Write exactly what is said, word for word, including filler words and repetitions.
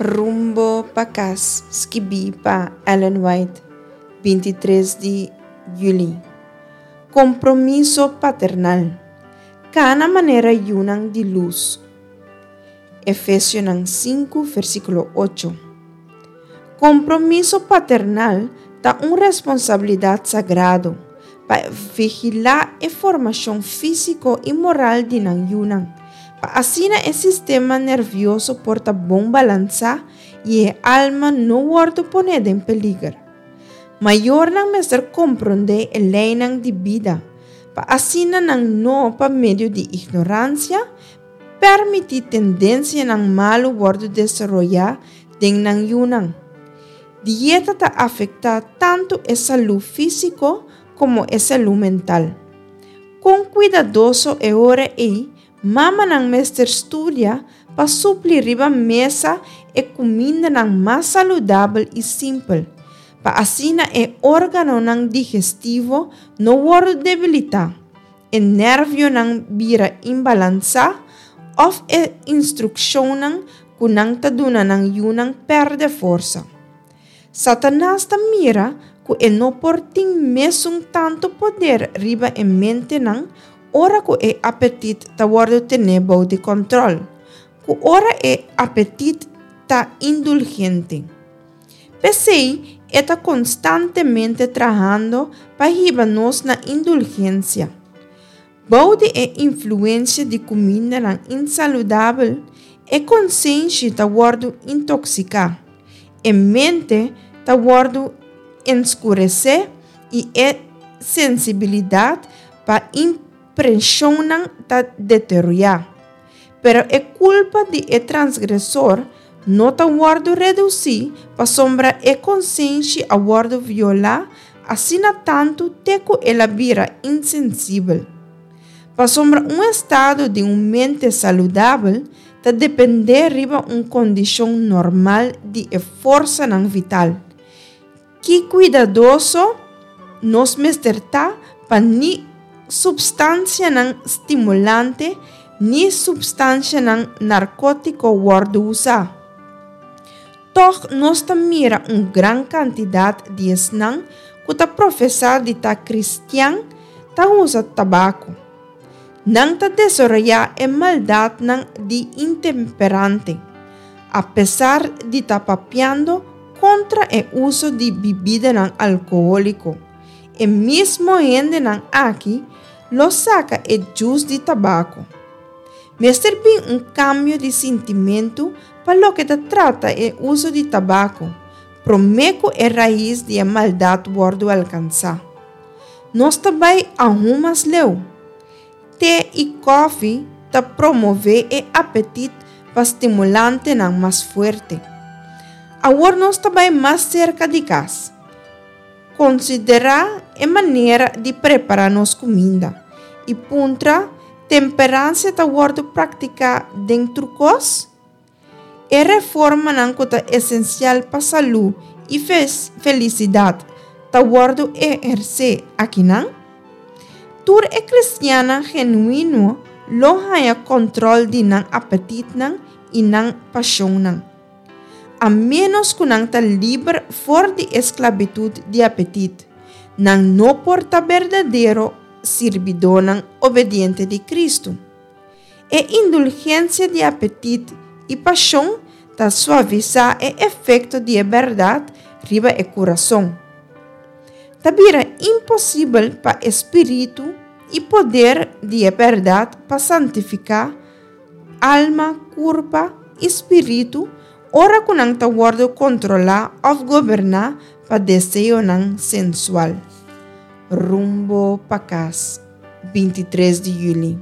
Rumbo pa Kas, skibí pa Ellen White, bintitres di yüli. Kompromiso paternal. Kana manera yunan di lus. Efesionan sinku, versíkulo ocho. Kompromiso paternal ta un responsabilidat sagrado pa vigilá e formashon físiko i moral di nan yunan, pa asina e sistema nervioso por ta bon balansá i e alma no wòrdu poné den peliger. Mayornan mester komprondé e leinan di bida, pa asina nan no, pa medio di ignoransia, permití tendensianan malu wòrdu desaroyá den nan yunan. Dieta ta afektá tantu e salú físiko komo e salú mental. Kon kuidadoso e ora ei mamanan mester studia pa supli riba mesa e kumindanan mas saludabel i simpel, pa asina e órganonan digestivo no wòrdu debilitá, e nervionan bira imbalansá òf e instrukshonnan ku nan ta duna nan yunan pèrdè forsa. Satanas ta mira ku e no por tin mesun tantu poder riba e mentenan ora ku e apetit ta wòrdu tené bou di kòntròl, ku ora e apetit ta indulgente. P'esei e ta konstantemente trahando pa hiba nos na indulgensia. Bou di e influensia di kumindanan insaludabel, e konsenshi ta wòrdu intoksiká, e mente ta wòrdu enskuresé i e sensibilidat pa impreshonnan ta deteriorá. Pero e kulpa di e transgresor no ta wòrdu redusí pasobra e konsenshi a wòrdu violá asina tantu te ku el a bira insensibel. Pasobra un estado di un mente saludabel ta dependé riba un kondishon normal di e forsanan vital. Ki kuidadoso nos mester ta pa ni supstansianan stimulante ni supstansianan narkótiko wòrdu usá. Tòg nos ta mira un gran kantidat di esnan ku ta profesá di ta kristian ta usa tabako. Nan ta desaroyá e maldatnan di intemperante, apesar di ta papiando kontra e uso di bibidanan alkohóliko. E mismo hendenan aki lo saka e djus di tabako. Mester bin un kambio di sintimentu pa loke ta trata e uso di tabako, promé ku e rais di e maldat wòrdu alkansá. Nos ta bai aun mas leu. Te i kòfi ta promové e apetit pa stimulantenan mas fuerte. Awor nos ta bai mas serka di kas. Konsiderá e manera di prepará nos kuminda i puntra, Temperansia ta wòrdu praktiká den tur kos? E reformanan ku ta esensial pa salú i felisidat ta wòrdu ehersé akinan? Tur e kristiannan genuino lo haña kòntròl di nan apetitnan i nan pashonnan. A ménos ku nan ta liber for di esklabitut di apetit, nan no por ta berdadero sirbidónan obediente di Kristu. E indulgensia di apetit i pashon ta suavisá e efekto di e bèrdat riba e kurason. Ta bira imposibel pa e spiritu i poder di e bèrdat pa santifiká alma, kurpa i spiritu ora ku nan ta wòrdu kontrolá òf goberná pa deseonan sensual. Rumbo pa Kas, bintitres di yüli.